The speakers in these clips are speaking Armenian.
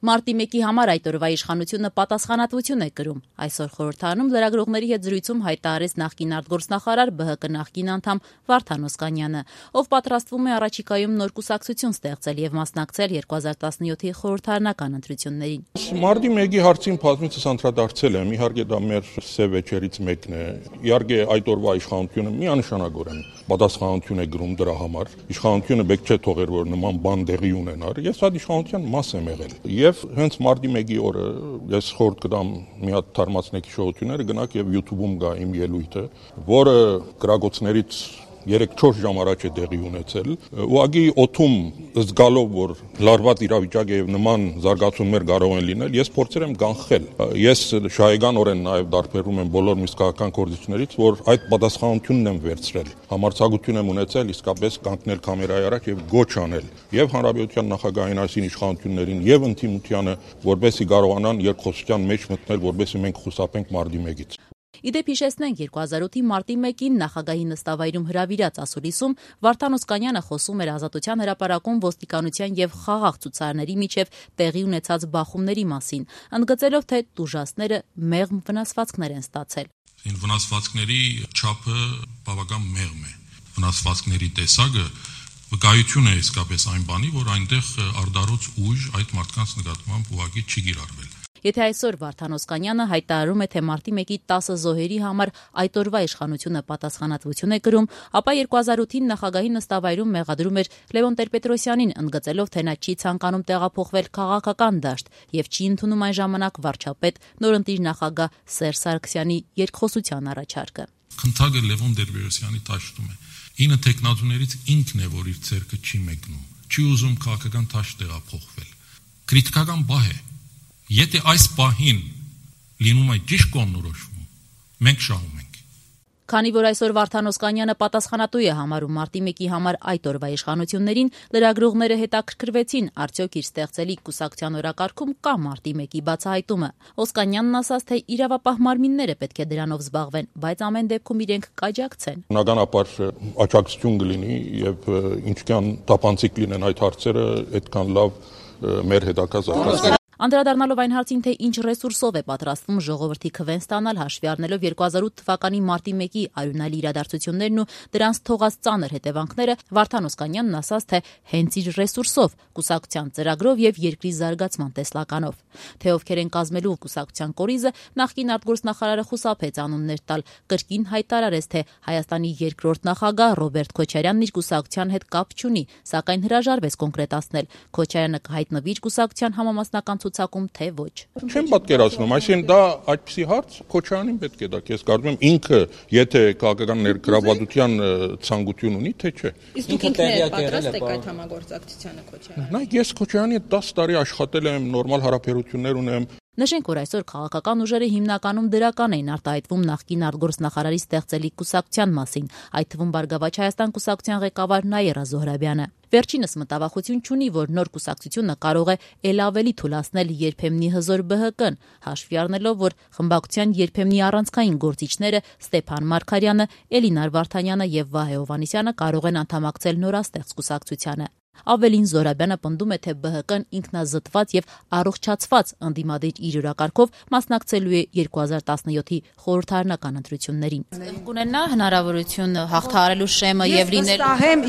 Մարտի 1-ի համար այդ օրվա իշխանությունը պատասխանատվություն է կրում։ Այսօր խորհրդարանում լրագրողների հետ զրույցում հայտարարեց նախկին արտգործնախարար ԲՀԿ նախկին անդամ Վարդան Օսկանյանը, ով պատրաստվում է առաջիկայում նոր կուսակցություն ստեղծել եւ մասնակցել 2017-ի խորհրդարանական ընտրություններին։ Մարտի 1-ի հարցին բազմիցս անդրադարձել եմ, իհարկե դա մեր սև վեճերից մեկն է։ Իհարկե այդ օրվա իշխանությունը միանշանագորեն պատասխանատվություն է կրում դրա համար։ Իշխանությունը պետք չէ թողեր, որ նման բան տեղի ունենար։ Ես այդ իշխանության մաս եմ եղել։ Եվ հենց մարտի 1-ի օրը ես խորհուրդ կտամ մի հատ թարմացնեք հիշողությունները, գնաք եւ YouTube-ում գա իմ ելույթը, որը գրագոցներից 3-4 ժամ առաջ է տեղի ունեցել։ Ուղղակի օթում զգալով, որ լարված իրավիճակ է եւ նման զարգացումներ կարող են լինել, ես փորձել եմ կանխել։ Ես շահեգանորեն նաեւ դարբերում եմ բոլոր միսկական կորձություններից, որ այդ պատասխանատվությունն եմ վերցրել։ Համարձակություն եմ ունեցել իսկապես կանգնել կամերայի առաջ եւ գոչ անել եւ հանրապետության նախագահային այսին իշխանություններին եւ ընդդիմությանը, որպեսզի կարողանան երկխոսության մեջ մտնել, որպեսզի մենք խուսափենք մարտի 1-ից։ Իդեպ հիշեցնենք 2008-ի մարտի 1-ին նախագահի նստավայրում հրավիրած ասուլիսում Վարդան Օսկանյանը խոսում էր Ազատության հրապարակում ոստիկանության եւ խաղաղ ցուցարարների միջև տեղի ունեցած բախումների մասին, ընդգծելով, թե տուժածները մեղմ վնասվածքներ են ստացել։ Վնասվածքների չափը բավական մեղմ է։ Վնասվածքների տեսակը վկայություն է իսկապես այն բանի, որ այնտեղ արդարոց ուժ այդ մարդկանց նկատմամբ ուղղակի չի կիրառվել։ Եթե այսօր Վարդան Օսկանյանը հայտարարում է, թե մարտի 1-ի 10 զոհերի համար այդ օրվա իշխանությունը պատասխանատվություն է կրում, ապա 2008-ին նախագահի նստավայրում մեղադրում էր Լևոն Տեր-Պետրոսյանին, ընդգծելով, թե նա չի ցանկանում տեղափոխվել քաղաքական դաշտ եւ չի ընդունում այն ժամանակ վարչապետ նորընտիր նախագահ Սերժ Սարգսյանի երկխոսության առաջարկը։ Խնդագը Լևոն Տեր-Պետրոսյանի դաշտում է։ 9 տեխնատուներից ինքն է, որ իր ցերկը չի մեկնում, չի ուզում քաղաքական դաշտ տեղափոխվել։ Քրիտիկական բահ է։ Եթե այս պահին լինում է ճիշտ կողմնորոշվում, մենք շահում ենք։ Քանի որ այսօր Վարդան Օսկանյանը պատասխանատու է համարում մարտի 1-ի համար այդ օրվա իշխանություններին, լրագրողները հետաքրքրվեցին, արդյոք իր ստեղծելիք կուսակցության օրակարգում կա մարտի 1-ի բացահայտումը։ Օսկանյանն ասաց, թե իրավապահ մարմինները պետք է դրանով զբաղվեն, բայց ամեն դեպքում իրենք կաջակցեն։ Բնականաբար աջակցություն կլինի եւ ինչքան տապանցիկ լինեն այդ հարցերը, այդքան լավ մեր հետաքրքրված։ Անդրադառնալով այն հարցին, թե ինչ ռեսուրսով է պատրաստվում ժողովրդի քվեն ստանալ, հաշվի առնելով 2008 թվականի մարտի 1-ի արյունալի իրադարձություններն ու դրանց թողած ծանր հետևանքները, Վարդան Օսկանյանն ասաց, թե հենց իր ռեսուրսով, կուսակցության ծրագրով եւ երկրի զարգացման տեսլականով։ Թե ովքեր են կազմելու կուսակցության կորիզը, նախկին արտգործնախարարը խուսափեց անուններ տալ, կրկին հայտարարեց, թե Հայաստանի երկրորդ նախագահ Ռոբերտ Քոչարյանն իր կուսակցության հետ կապ չունի, սակայն հրաժարվեց կոնկրետացնել։ Քոչարյանը կհայտնվի իր կուսակցության համամասնական ցուցակում, թե ոչ։ Չեմ պատկերացնում, այսինքն դա այդպիսի հարց Քոչարյանին պետք է դա ես կարծում եմ ինքը, եթե քաղաքական ներգրավվածության ցանկություն ունի, թե չէ։ Իսկ դուք ինքներդ պատրաստ եք այդ համագործակցությանը Քոչարյանը։ Նայեք, ես Քոչարյանի հետ 10 տարի աշխատել եմ, նորմալ հարաբերություններ ունեմ։ Նշենք, որ այսօր քաղաքական ուժերը հիմնականում դրական էին արտահայտվում նախկին արտգործնախարարի ստեղծելիք կուսակցության մասին, այդ թվում Բարգավաճ Հայաստան կուսակցության ղեկավար Նաիրա Զոհրաբյանը։ Վերջինս մտավախություն չունի, որ նոր կուսակցությունը կարող է ել ավելի թուլացնել երբեմնի հզոր ԲՀԿ-ն, հաշվի առնելով, որ խմբակցության երբեմնի առանցքային գործիչները Ստեփան Մարգարյանը, Էլինար Վարդանյանը եւ Վահե Հովհաննիսյանը կարող են անդամակցել նորաստեղծ կուսակցությանը։ Ավելին Զոհրաբյանը պնդում է, թե ԲՀԿ-ն ինքնազտված եւ առողջացված ընդդիմադիր իր օրակարգով մասնակցելու է 2017-ի խորհրդարանական ընտրություններին։ Կունենա հնարավորություն հաղթահարելու շեմը եւ լինել։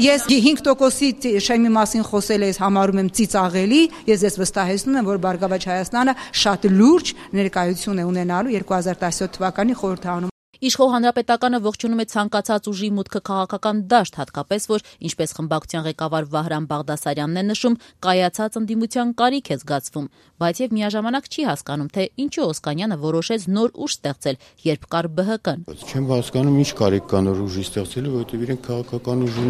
Ես 5%-ի շեմի մասին խոսել ես, համարում եմ ծիծաղելի, ես վստահեցնում եմ, որ Բարգավաճ Հայաստանը շատ լուրջ ներկայություն է ունենալու 2017 թվականի խորհրդարանում։ Իշխող հանրապետականը ողջունում է ցանկացած ուժի մուտքը քաղաքական դաշտ, հատկապես որ, ինչպես խմբակցության ղեկավար Վահրամ Բաղդասարյանն է նշում, կայացած ընդդիմության կարիք է զգացվում, բայց եւ միաժամանակ չի հասկանում, թե ինչու Օսկանյանը որոշեց նոր ուժ ստեղծել, երբ կար ԲՀԿ-ն։ Չեմ հասկանում, ինչ կարիք կա նոր ուժի ստեղծելու, որովհետեւ իրենք քաղաքական ուժ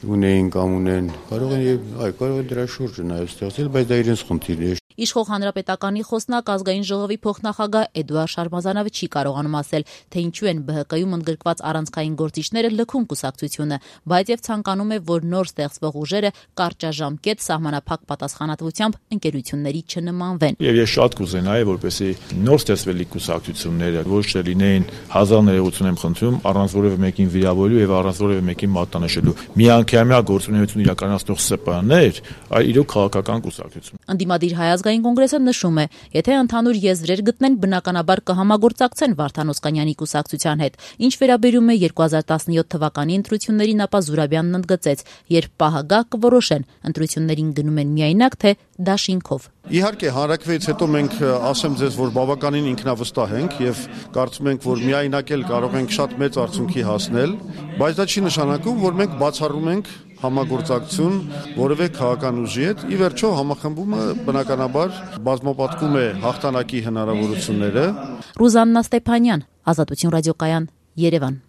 ունեին կամ ունեն, կարող են դրա շուրջը նաեւ ստեղծել, բայց դա իրենց խնդիրն է։ Իշխող հանրապետականի խոսնակ ազգային ժողովի փոխնախագահ Էդուարդ Շարմազանովը չի կարողանում ասել, թե ինչու են ԲՀԿ-ում ընդգրկված առանցքային գործիչները լքում կուսակցությունը, բայց եւ ցանկանում է, որ նոր ստեղծվող ուժերը կարճաժամկետ սահմանափակ պատասխանատվությամբ ընկերությունների չնմանվեն։ Եվ ես շատ կուզենայի, որպեսզի նոր ստեղծվելիք կուսակցությունները ոչ թե լինեին հազար ներողություն եմ խնդրում, առանց որևէ մեկին վիրավորելու եւ առանց որևէ մեկին մատնանշելու։ Միանգամյա գործունեություն իրականացնող ՍՊԸ-ներ, այլ իրոք քաղաքական կուսակցություն։ Ընդդիմադիր Հայ ազգային կոնգրեսը նշում է, եթե ընդհանուր եզրեր գտնեն, բնականաբար կհամագործակցեն Վարդան Օսկանյանի կուսակցության հետ։ Ինչ վերաբերում է 2017 թվականի ընտրություններին, ապա Զուրաբյանն ընդգծեց, երբ պահը գա կորոշեն, ընտրություններին գնում են միայնակ, թե դաշինքով։ Իհարկե, հանրակրվեից հետո մենք ասեմ ձեզ, որ բավականին ինքնավստահ ենք եւ կարծում ենք, որ միայնակ էլ կարող ենք շատ մեծ արդյունքի հասնել, բայց դա չի նշանակում, որ մենք բացառում ենք համագործակցություն որևէ քաղաքական ուժի հետ։ Ի վերջո համախմբումը բնականաբար բազմապատկում է հաղթանակի հնարավորությունները։ Ռուզաննա Ստեփանյան, Ազատություն ռադիոկայան, Երևան։